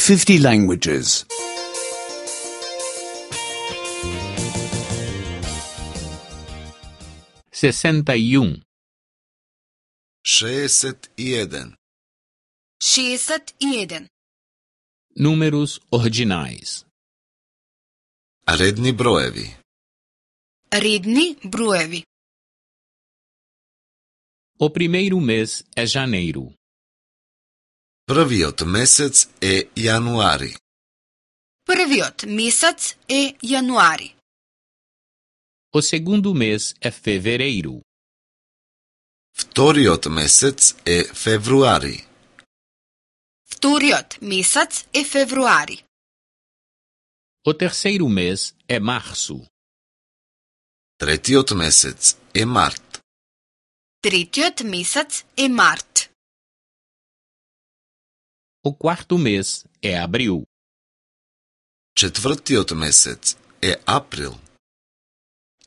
50 languages. 61. 61. 61. Números ordinais. Редни броеви. Редни броеви. O primeiro mês é janeiro. Првиот месец е јануари. Првиот месец е јануари. O segundo mês é fevereiro. Вториот месец е февруари. Вториот месец е февруари. O terceiro mês é março. Третиот месец е март. Третиот месец е март. O quarto mês é abril. Четвртиот месец е април.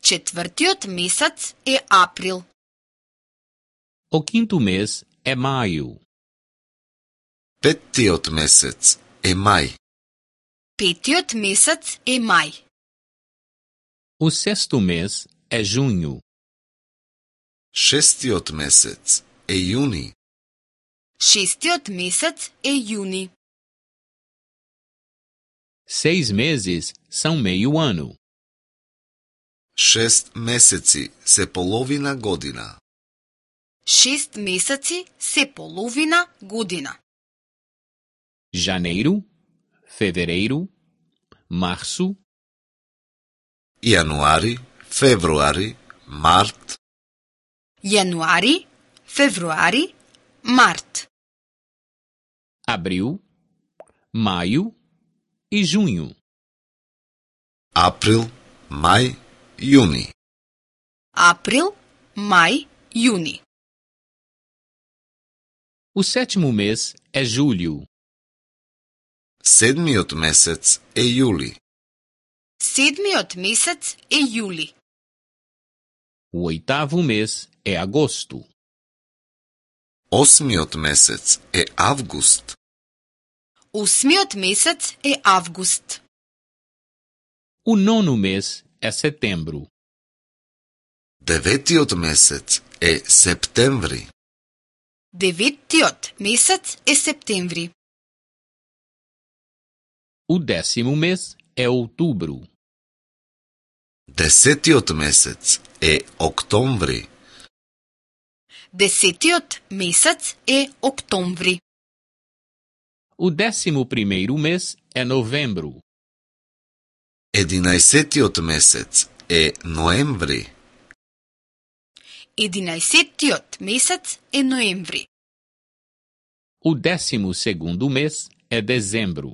Четвртиот месец е април. O quinto mês é maio. Петтиот месец е мај. Петиот месец е мај. O sexto mês é junho. Шестиот месец е јуни. Шестиот месец е јуни. 6 meses são meio ano. 6 месеци се половина година. 6 месеци се половина година. Janeiro, fevereiro, março, Јануари, февруари, март, Јануари, февруари, март. abril, maio e junho. април, мај, јуни. Април, мај, јуни. O sétimo mês é julho. Седмиот месец е јули. Седмиот месец е јули. O oitavo mês é agosto. Осмиот месец е август. Осмиот месец е август. O nono mês é setembro. Деветиот месец е септември. Деветиот месец е септември. O décimo mês é outubro. Десетиот месец е октомври. Десетиот месец е октомври. O 11º mês é novembro. Единаесетиот месец е ноември. Единаесеттиот месец е ноември. O 12º mês é dezembro.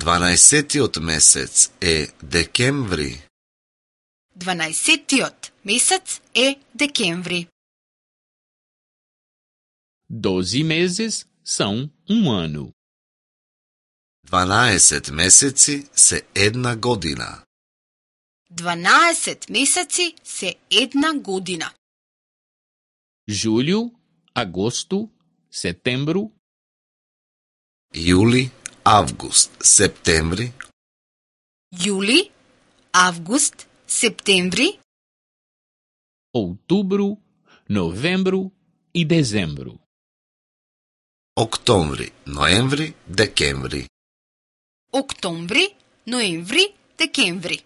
12-тиот месец е декември. 12-тиот месец е декември. 12 meses são ano. 12 месеци се една година. 12 месеци се една година. Julho, agosto, setembro, Јули, август, септември, Јули, август, септември, outubro, novembro e dezembro. октомври, ноември, декември. октомври, ноември, декември.